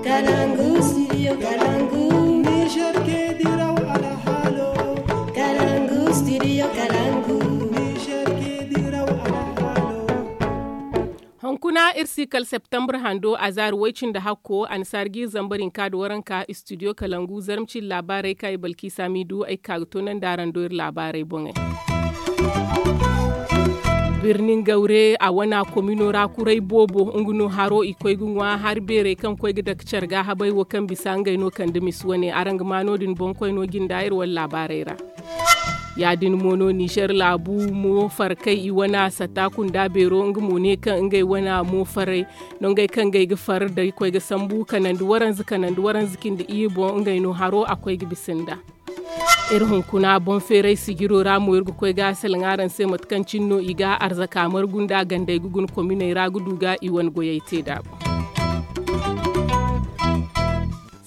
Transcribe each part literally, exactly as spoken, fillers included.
Kalangu, studio Kalangu. Niger ke diraw alhalo. Kalangu, studio Kalangu. Niger ke diraw alhalo. Hunkuna iri si kala septembre hando, azaari way-cindi hakko, annasaara ga iri zambar hinka nda waranka, studio Kalangu, zarma cindi laabaarey kaŋ ay Balkisa Midu ay ga ka ga toonandi araŋ do iri laabaarey boŋey. Birnin Gawre, a wana komino ra kuray boobo, nga no haro i koy ga ŋwa, hari beerey kaŋ koy ga dake care ga habay wo kaŋ bisa ngey no kande misi wane. Araŋ ga ma no-din boŋ koyno jinda iri wane laabaarey ra. Ya-din mo no Nizer laabu mo far kay i wana sata kunda beero, nga mo ne kaŋ ngey wana mo faray no ngey kaŋ ngey ga far da koy ga sambu kanandi waranza, kanandi waranza cindi iyye boŋ, ngey no haro a koy ga bisa nda. Iri hunkuna boŋ feeray sijiro ra mo iri ga koy ga salaŋ araŋ se mate kaŋ cine no i ga arzaka margu nda gandey ga guna kominey ra ga du ga i wane goyey te daabu.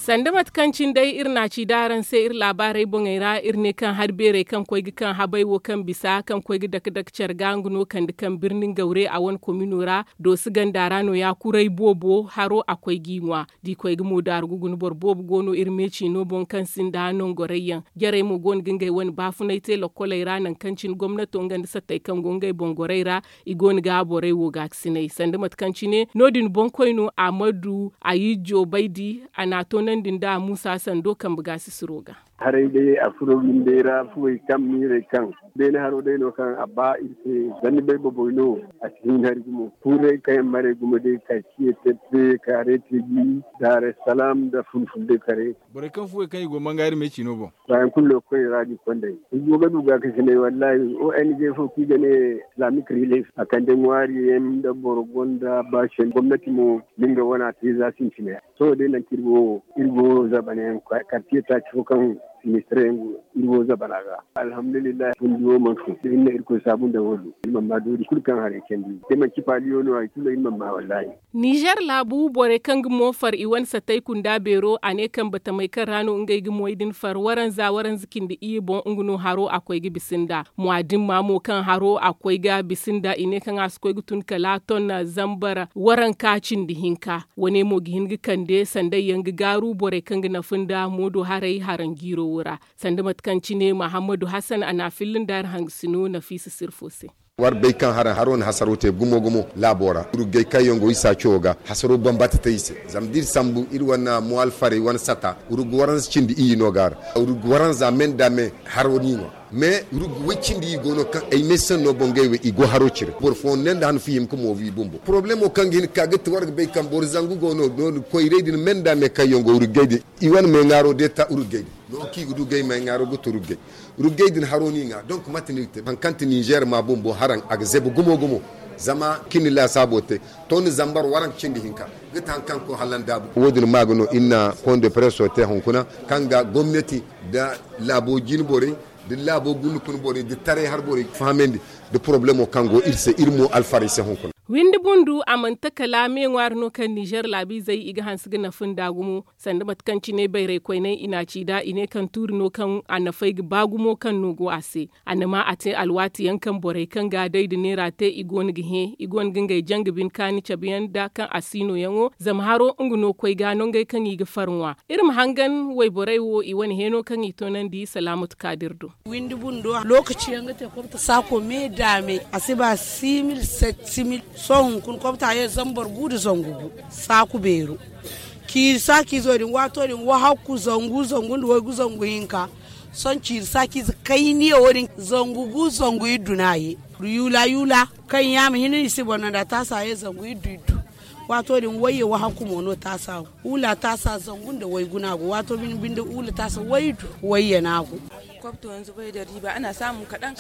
Sanda mate kaŋ cine day iri na a ci da araŋ se iri laabaarey boŋey ra, iri ne kaŋ hari beerey kaŋ koy ga kaŋ habay wo kaŋ bisa kaŋ koy ga dake-dake care ga nga no kande kaŋ birnin gawre a wane komino ra, doosi ganda ra no ya kuray boobo haro a koy g'i ŋwa. Da i koy ga mo daaru ga guna boro boobo go no iri me ciino boŋ kaŋ sinda nongorayyaŋ. Jarey mo go no ga ngey wane baafunay te lokkoley ra nangu kaŋ cine gomnato nga nda sattey kaŋ go ngey boŋ gorey ra, i go no ga borey wo gaakasinay sanda mate kaŋ cine no-din boŋkoyno amadu ayijjo baydi. A n'a toonandi nda muusa sando kambe gaasisiro ga. Haray day a furo windey ra fuwey kaŋ miirey kaŋ beene haro day no kaŋ a ba iri se. Zanni bay boboy no. A si hin hari gumo kuuray kaŋ yaŋ maray gumo day ka ciye tette ka reete bi. Daaray salaam nda fulful day kare. Borey kaŋ fuwey kaŋ i go manga iri me ciino boŋ. Baayaŋ kulu no koy ra ga konday i go ga du gaakasinay wallaahi o n g fo kaŋ i ga ne islamic relief a kande ŋwaari yaŋ nda boro gonda baasi yaŋ gomnati mo. Nga wana te za sintina yaŋ sohõ day nangu kaŋ iri go wo iri go zabana yaŋ kartiye taaci fo kaŋ ministir yaŋ go iri go zabana ga. Alhamdulillahi fundi wo mana fun da iri na irkoy saabu nda wo do iri mana ma doori kulu kaŋ haray candi day manti paaliyo no hari kulu iri mana ma wallaahi. Nizer laabu borey kaŋ ga mo far i wane satay kunda beero a ne kaŋ batamey kaŋ ra no ngey ga moy din far waranza waranza cindi iyye boŋ nga no haro a koy ga bisa nda. Muwaadin ma mo kaŋ haro a koy ga bisa nda i ne kaŋ a si koy ga tun kala ton zambar waranka cindi hinka. Wane mo ga hin ga kande sanday yaŋ ga gaaru borey kaŋ ga nafa nda moodo haray haranjiiro wo ra. Sanda mate kaŋ cine mahammadu hassan a n'a filla nda hari hangasino nafiisa sirfo se. War bay kaŋ haro na hasaro te gumo gumo laabo ra urugay kaŋ yaŋ go i saaco ga hasaro bambata te i se. Zama da iri sambu iri wane muwalfarey wane sata urug waranza cindi iyye no ga a ra. Urug waranza me nda me haro no i ŋwa. Mais rugu way cindi i go no kaŋ ay me sanno boŋ gay way i go haro cire boro fooyaŋ ne nda han fihim ka moobu i bumbo problemo kaŋ ga hin ka ga ti war ga bay kaŋ boro zangu go no no koyray din me nda me kaŋ yaŋ go rugay din. I wane me ŋaaro deeta rugay din no kaŋ i ga du gay me ŋaaro ga to rugay. Rugay din haro no i ŋwa donc mate no i ga te hari kaŋ ti nizer ma bumbo haraŋ a ga zebu gumo gumo. Zama kaŋ i na laasaabo te to ni zambar waranka cindi hinka ga ti hari kaŋ ga koy hala ndaabu wo- din ma ga no iri na point de presse te hunkuna kaŋ ga gomnati nda laabo jine borey nda laabo gundukun borey nda taray har borey fahamandi nda porobalemo kaŋ go iri se iri mo alfarey se hunkuna. Windi bundu a mana ta kala me ŋwaari no kaŋ nizer laabiizey i ga hanse ga nafa nda gumo. Sanda mate kaŋ cine bayray koyney i n'a ci nd'a i ne kaŋ tuuri no kaŋ a nafey ga ba gumo kaŋ no go a se. A na ma a te alwaati yaŋ kaŋ borey kaŋ ga day nda neera te i go no ga hẽ i go no ga ngey janga bine kaani cabe yaŋ nda kaŋ a si nooyaŋo zama haro nga no koy ga nongey kaŋ i ga far ŋwa. Iri ma hangan wayborey wo i wane heeno kaŋ i toonandi salaamatu kaadir do. Windi bundo lookaci yaŋ ga te kobta saako me daame a si ba simil set simil. Sohõ hunkuna kobta ye zambar gu nda zangu gu saaku beero. Ciiri saakiizo din waato din wahakku zangu zangu nda waygu zangu hinka. Sohõ ciiri saakiize kayniya wo- din zangu gu zangu iddu no a ye. Yuula yuula kaŋ yaama hinne no i si boro no nda taasa ye zangu iddu iddu. Waato din wayye wahakku mo no taasa wo. Huula taasa zangu nda waygu no a go waato bine binde huula taasa waydu wayye no a go.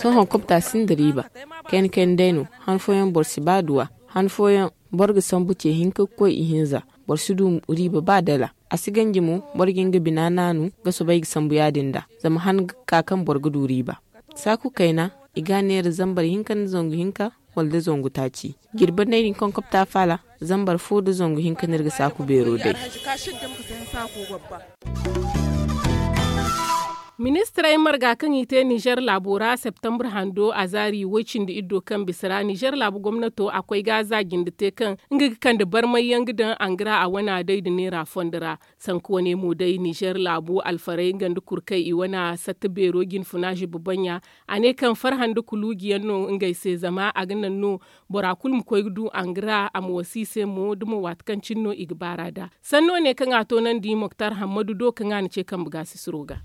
Sohõ kobta sinda riiba. Kayna kayna day no han fooyaŋ boro si ba duwa. Han fooyaŋ boro ga sambu ce hinka ga koy ihinza. Boro si du riiba ba dala. A si ganji mo boro ga nga bina naanu ga soobay ga sambu ya- din nda zama han ga ka kaŋ boro ga du riiba. Saaku kayna i ga a neera zambar hinka nda zangu hinka wala da zangu taaci. Jirbi nda ay din kaŋ kobta faala zambar fo nda zangu hinka no iri ga saaku beero day. Ministirey marga kaŋ i te nizer laabo ra septembre hando a zaari woy-cindi-iddo kaŋ bisa ra nizer laabu gomnato a koy ga za jinde te kaŋ nga ga kande barmay yaŋ ga daŋ angra a wana day nda neera fondo ra. Sanku wane mo day nizer laabu alfarey nga nda kurkey i wana satta beero jinfuna ziba baŋ ya. A ne kaŋ farhã nda kuluuji yaŋ no ngey se zama a ga naŋ no bora kulu ma koy ga du angra a ma wasa i se mo da mo waati kaŋ cine no i ga baar'a nd'a. Sanno ne kaŋ a toonandi moktar hammadu do kaŋ a na ce kambe gaasisiro ga.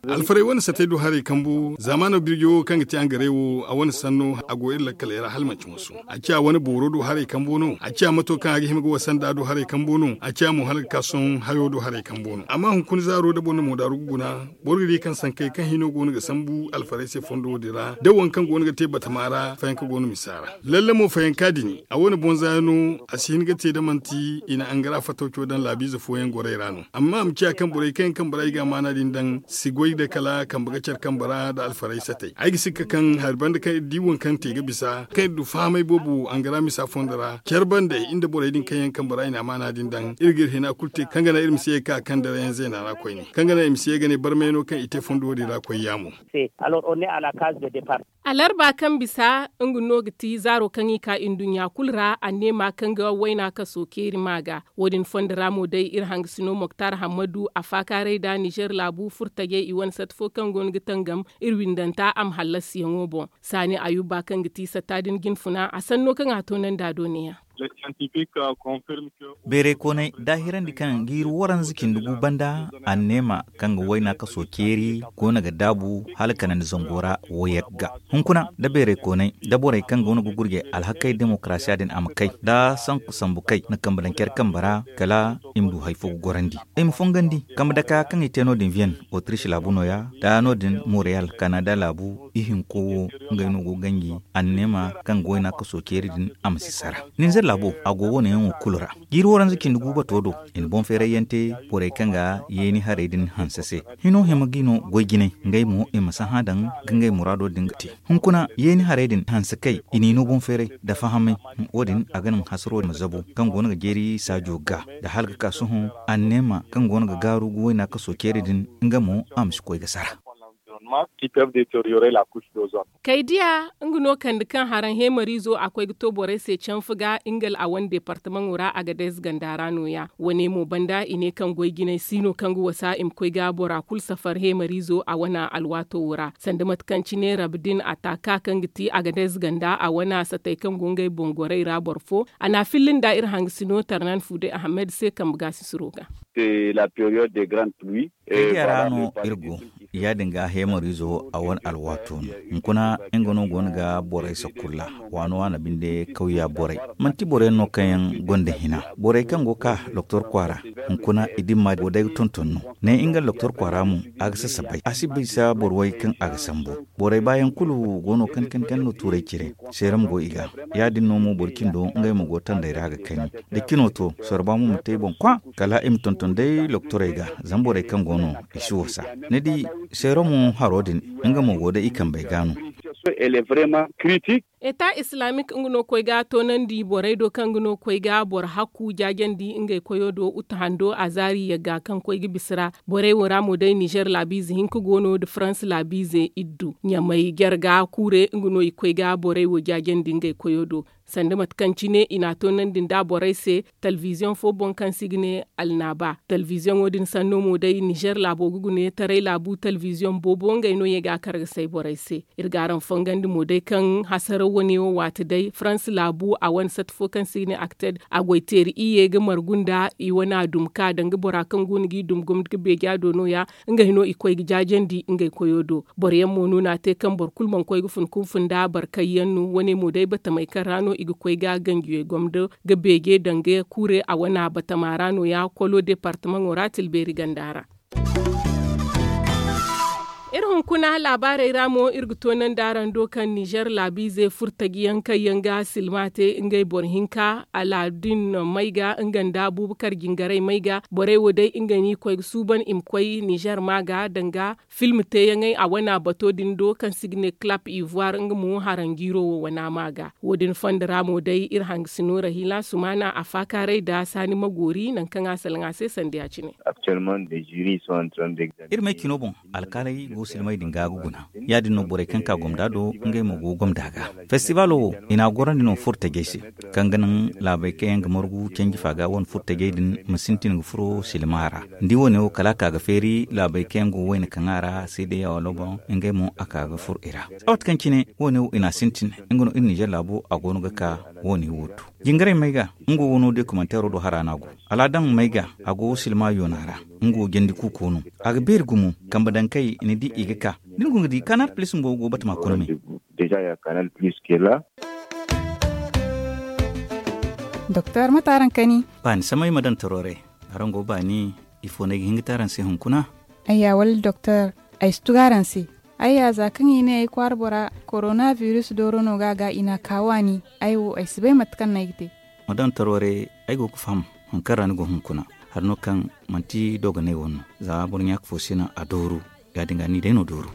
Alfarey wane sattey do haray kambu zaamaano birjo wo kaŋ ga te angarey wo a wane sanno a go iri lakkaley ra hala manci moso. A ciya wane booro do haray kambo no a ciya mato kaŋ a ga hima ga wasa nd'a do haray kambo no a ciya mo hala ga ka sohõ hayo do haray kambo no amma hunkuna zaaro da boro na moodaaru ga guna. Boro ga di kaŋ sankey kaŋ hino go no ga sambu alfarey se fondo wo- din ra da waŋ kaŋ go no ga te batama ra fayanka go no misa ra. Lalle mo fayanka din a wane boŋ zaaya no. A si hin ga te da manti i na angara fatawco daŋ laabiize fooyaŋ gorey ra no amma a ma ciya kaŋ borey kaŋ yaŋ kambe ra i ga amaana din daŋ si goy da kala kambe ga care kambe ra nda alfarey satey ay ga sikka kaŋ hari banda kaŋ iri di waŋ kaŋ te ga bisa kaŋ iri du fahamey boobo angara misa fondo ra care banda iri nda borey din kaŋ yaŋ kambe ra i na amaana din daŋ iri ga iri hina kulu te kaŋ ga naŋ iri ma si ye ga ka kandarayaŋ zeena ra koyne kaŋ ga naŋ i ma si ye ga ne barmay no kaŋ i te fondo wo- din ra koy yaamo. Alarba kaŋ bisa nga no ga ti zaaro kaŋ i ka nduɲɲa kulu ra anneema kaŋ ga wayna kaso ceeri ma ga. Wo- din fondo ra mo day iri hangasino moktar hammadu a faakaaray nda nizer laabu furtajey i wane sata fo kaŋ go no ga tangam iri windanta a ma hallasiyaŋo boŋ. Saani ayuba kaŋ ga ti satta din jinfuna a sanno kaŋ a toonandi a do ne- ya. Beerey koonay daahirandi kaŋ ga iri waranza cindi gu banda anneema kaŋ ga wayna kaso ceeri go no ga daabu hala kanandi zango ra wo yagga. Hunkuna da beerey koonay da borey kaŋ go no ga gurjay alhakey demokarasiya din a ma kay da sanku sambu kay na kambe daŋ care kambe ra kala i ma du hari fo ga gorandi i ma fongandi kambe daka kaŋ i te no- din vienne autriche laabu no- ya da no- din montreal kanada laabu ihinko wo ngey no go ganji anneema kaŋ ga wayna kaso ceeri din a ma si sara. Ninzeer laabo a go wo- ne yaŋo kulu ra jiiri waranza cindi gu bato do i na boŋ feeray yaŋ te borey kaŋ ga yeeni harey din hanse se. Hino hima ga i no goy jinay ngey mo i ma sahã daŋ ga ngey muraado din ga te. Hunkuna yeeni harey din hanse kay i n'i no boŋ feeray nda fahamay. Wo- din a ga naŋ hasaro ma zabu kaŋ go no ga jeeri saajo ga nda hala ga ka sohõ anneema kaŋ go no ga gaaru ga wayna kaso ceeri din nga mo a ma si koy ga sara. Kay diya nga no kande kaŋ haraŋ heemariizo a koy ga to borey se canfa ga nga a wane departamaŋo ra a ga day ze ganda ra no- ya. Wane mo banda i ne kaŋ goy jinay si no kaŋ ga wasa i ma koy ga bora kulu safar heemariizo a wane alwaato wo ra sanda mate kaŋ cine rabe din a taaka kaŋ ga ti a ga day ze ganda a wane satey kaŋ go ngey boŋ gorey ra boro fo. A n'a filli nda iri hangasino tarnan fuude ahamed se kambe gaasisiro ga. Kay diya ra no iri go. Ya- din ga heemariizo a wane alwaato no. Hunkuna nga no go no ga borey sakulla waano waana binde kawya borey manti boro yaŋ no kaŋ yaŋ gonda hina. Borey kaŋ go ga ka doktor kwaara hunkuna i dimma go day ga tonton no. Ne nga doktor kwaara mo a ga sasabay a si bisa boro way kaŋ a ga sambu. Borey baayaŋ kulu go no kan kan kan no tuuray cire seeram go i ga. Ya- din no mo boro cindo ngey mo go tanday ra ga kani da cino to sorba mo ma te i boŋ kwa kala i ma tonton day doktorey ga. Zama borey kaŋ go no i si wasa ni di seero mo haro din nga mo go day i kambey ga no. Eta islaamik nga no koy ga toonandi borey do kaŋ ga no koy ga boro hakku jaajandi ngey koyo do uta hando a zaari yagga kaŋ koy ga bisa ra. Borey wo ra mo day nizer laabiize hinka go no nda farans laabiize iddu ɲamay jarga kuure nga no i koy ga borey wo jaajandi ngey koyo do. Sanda mate kaŋ cine i n'a toonandi nda borey se talbiziyoŋ fo boŋ kaŋ se i ga ne alnaaba talbiziyoŋo din sanno mo day nizer laabo ga gune taray laabu talbiziyoŋ boobo ngey no ye ga a kar ga say borey se. Iri ga araŋ fongandi mo day kaŋ hasaraw wane wo waati day farans laabu a wane sata fo kaŋ se i ga ne akted a goy teeri iyye ga margu nda i wane a dum ka danga bora kaŋ go no g'i dum gomni ga beeja do no- ya. Ngey no i koy ga jaajandi ngey koyo do. Boro yaŋ mo no n'a te kaŋ boro kulu mana koy ga fun kunfun nda barkay yaŋ no wane mo day batamey kaŋ ra no i ga koy ga ganjiyey gomdo ga beeje danga kuure a wana batama ra no- ya kolo departamaŋo ra tilbeeri ganda ra. Hunkuna laabaarey ra mo iri ga toonandi araŋ do kaŋ ninzeer laabiize furtaji yaŋ kaŋ yaŋ ga silma te ngey boro hinka alaadin may ga nga nda abuubakar jingaray may ga borey wo day ngey no i koy ga suuban i ma koy ninzeer ma ga danga film teeyaŋey a wana bato din do kaŋ se i ga ne clap ivoire nga mo haranjiiro wo wana ma ga. Wo- din fondo ra mo day iri hangasino rahila sumana a faakaaray nda saani magoori nangu kaŋ a salaŋ a se sanda ya- cine. Iri may cino boŋ alkaaley go silmay din ga ga guna. Ya- din no borey kaŋ ka gomda do ngey mo go gomda ga. Festibalo wo i n'a gorandi no furo tajey se, kaŋ ga naŋ laabey kaŋ yaŋ ga margu canji fa ga wane furo tajey din ma sintin ga furo silma ra. Ni di wo- ne wo kala a ka ga feeri laabey kaŋ yaŋ go wayna kaŋ a ra seedeya wala boŋ, ngey mo a ka ga furo i ra. Waati kaŋ cine wo- ne wo i n'a sintin, nga no iri ninzeer laabo a go no ga ka wo- ne wo to. Jingaray may ga nga wo no dokumanteero do hara no a go. Alaadaŋ may ga a go silma yoona ra. Nga wo jandi kuuko no. A ga beeri gumo kambe dankey ni di i ga ka. Da ni go ga di kanaar pilis bumbo go batama kuna me. Doktor mate araŋ kani? Baani samay ma daŋ taro re. Araŋ go baani? Ifo no ay ga hin ga te araŋ se hunkuna? Ayya wala doktor, ay si tugu araŋ se. Ayya za kaŋ i ne ay kwaara bora korona biris dooro no ga a ga i n'a ka waani. Ay wo ay si bay mate kaŋ no ay ga te. Ma daŋ taro re. Ay go ga faham hari kaŋ ra ni go hunkuna. Hari no kaŋ manti dogonay wane no. Za boro ɲaaka fo si naŋ a dooru. Ya- din ga ni day no dooru.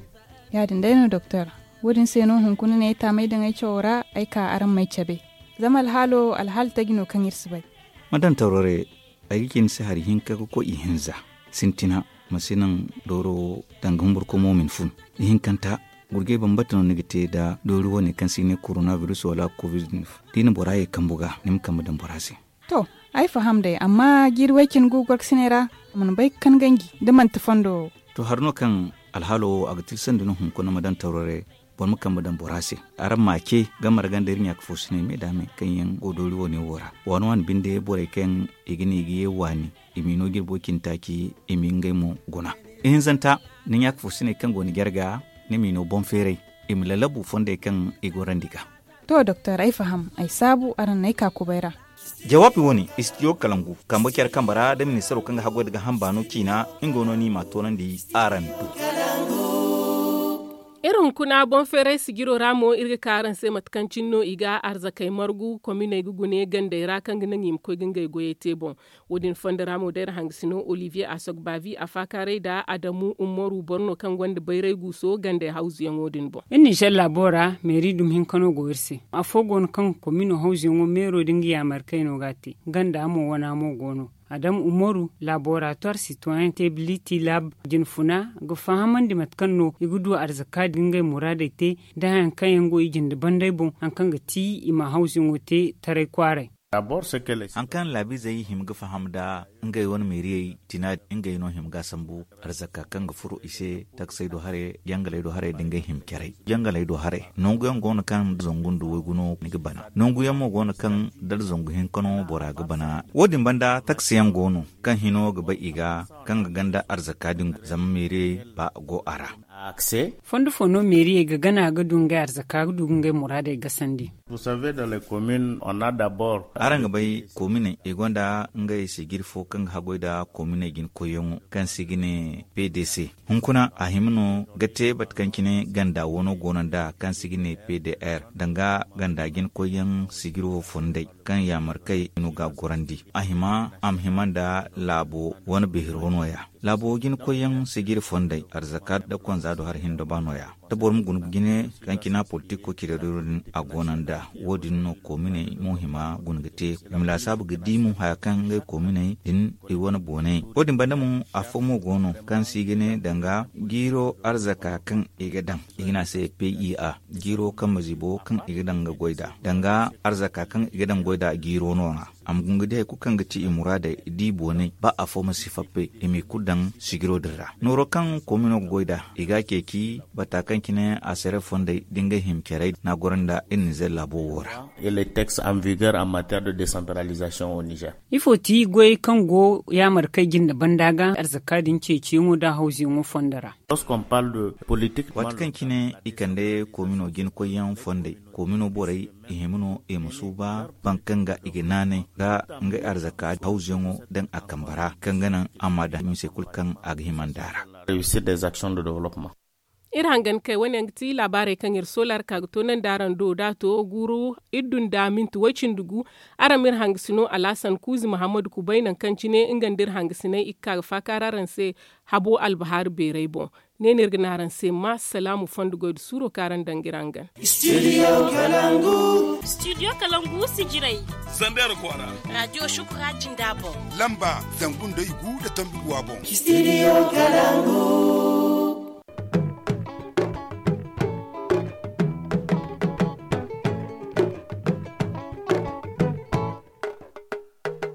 Ya- din day no doktor. Wo- din se no hunkuna ne ay taamay daŋ ay cawo ra ay ka araŋ m'ay cabe. Zama alhaalo alhaali taji no kaŋ iri si bay. Ma daŋ taro re. Ay ga ci ni se hari hinka ga koy ihinza. Sintina ma si naŋ dooro wo danga humburkomo ma ni fun. Ihinkanta gurjay bambata no ni ga te nda doori wane kaŋ se i ne korona biris wala covid. Da i na bora ye kambu ga ni ma kambe daŋ bora se. To, ay faham day amma jiiri way- cine go gorkasinay ra. A mana bay ga kan ganji da manti fondo wo. To hari no kaŋ alhaalo wo a ga tilasandi no hunkuna ma daŋ taro re. Boro ma kambe daŋ bora se. Araŋ ma a ce ga marga nda iri ɲaaka fo sinay me da me kaŋ yaŋ go doori wane wo ra. Waani waani binde borey kaŋ i ga ne i ga ye waani i m'i no jirbo cine taaci i m'i ngey mo guna. Ihinzanta ni ɲaaka fo sinay kaŋ go ni jarga ni m'i no boŋ feeray i ma lalabu fondey kaŋ i gorandi ga. To doktor ay faham ay saabu araŋ n'ay ka kubay ra. Jawaabi wane istidiyo kalangu kambe care kambe ra da ministaro kaŋ ga haggoy nda ga hamba no ciina. Nga no no i m'a toonandi araŋ do. Iri hunkuna boŋ feeray sijiro ra mo iri ga ka araŋ se mate kaŋ cine no i ga arzakey margu kominey ga gune gandey ra kaŋ ga naŋ i ma koy ga ngey goyey te boŋ. Wo- din fondo ra mo da iri hangasino olivier asogbavi a faakaaray nda adamu umaru boro no kaŋ gonda bayray guuso gandey hawzuyaŋo din boŋ. Iri ninzeer laabo ra meeri dumi hinka no go iri se. Afo go no kaŋ komino hawzuyaŋo meero da nga yaamar kay no ga a te. Ganda mo wana mo go no. Adamu umaru laboratoire citoyen te biliti lab jinfuna ga fahamandi mate kaŋ no i ga du arzaka da ngey muraadey te, da hayaŋ kaŋ yaŋ go i jinde banday boŋ haŋ kaŋ ga ti i ma hawzuyaŋo te taray kwaaray. Haŋ kaŋ laabiizey hima ga faham nda ngey wane meeriyey tina, ngey no hima ga sambu arzaka kaŋ ga furo i se taksey do haray jangaley do haray da ngey hima caray. Jangaley do haray nangu yaŋ go no kaŋ da zangu nda waygu no ni ga bana. Nangu yaŋ mo go no kaŋ da zangu hinka no bora ga bana. Wo- din banda taksi yaŋ go no kaŋ hino ga bay i ga kaŋ ga ganda arzaka din zama meeriyey ba go a ra. Fondo fo no meeriyey ga gana ga du ngey arzaka ga du ga ngey muraadey gasandi? Araŋ ga bay kominey i gonda ngey sijiri fo kaŋ ga haggoy nda kominey jina koyyaŋo kaŋ se i ga ne p d c. Hunkuna a hima no ga te mate kaŋ cine ganda wano go no nda kaŋ se i ga ne p d r danga ganda jina koyyaŋ sijiro fondey kaŋ yaamar kay no ga a gorandi. A hima a ma hima nda laabo wane behiro no- ya. Laabo jina koyyaŋ sijiri fondey arzaka nda konza do hari hinda ba no- ya. Da boro ma guna ga jine kaŋ cina politiko cire dooro din a go no nda wo- din no kominey mo hima guna ga te. I ma laasaabu ga di mo haya kaŋ ngey kominey din i wane boonay. Wo- din banda mo afo mo go no kaŋ se i ga ne danga jiiro arzaka kaŋ i ga daŋ i ga ne a se p i a jiiro kambe zibo kaŋ i ga daŋ ga goy nd'a danga arzaka kaŋ i ga daŋ goy nd'a jiiro no ra. A ma guna ga di hari kulu kaŋ ga ti i muraadey da i boonay ba afo ma si fappe i m'i kulu daŋ sijiro din ra nooro kaŋ koomino ga goy nd'a. I ga a ceeci bata kaŋ cine a sere fondey da ngey hima carey no a goro nda iri nizer laabo wo ra. Ifo ti goyey kaŋ go yaamar kay jinde banda ga arzaka din ceeciyaŋo nda hawzuyaŋo fondo ra? Waati kaŋ cine i kande koomino jina koyyaŋ fondey koomino borey i hima no i ma suuba baŋ kaŋ ga i ga naanay ga ngey arzaka hawzuyaŋo daŋ a kambe ra kaŋ ga naŋ a ma daŋ mise kulu kaŋ a ga hima nd'a ra. Iri hangan kay wane yaŋ ga ti laabaarey kaŋ iri soola ra ka ga toonandi araŋ do da a to guuru iri dunda minti way-cindi gu. Araŋ ma iri hangasino alhasan kuuzi mahammadu kubay nangu kaŋ cine nga nda iri hangasiney i ga ka ga faakaari araŋ se. Habo albahaari beeray boŋ. Ne no iri ga ne araŋ se ma salaamu fondo goy nda suuro kaŋ araŋ daŋ ga iri hangan. Studio kalangu sijirey. Zandar kwaara. Raadiyo shukura jinda boŋ. Lamba zangu nda i gu nda tombi guwa boŋ. Studio kalangu.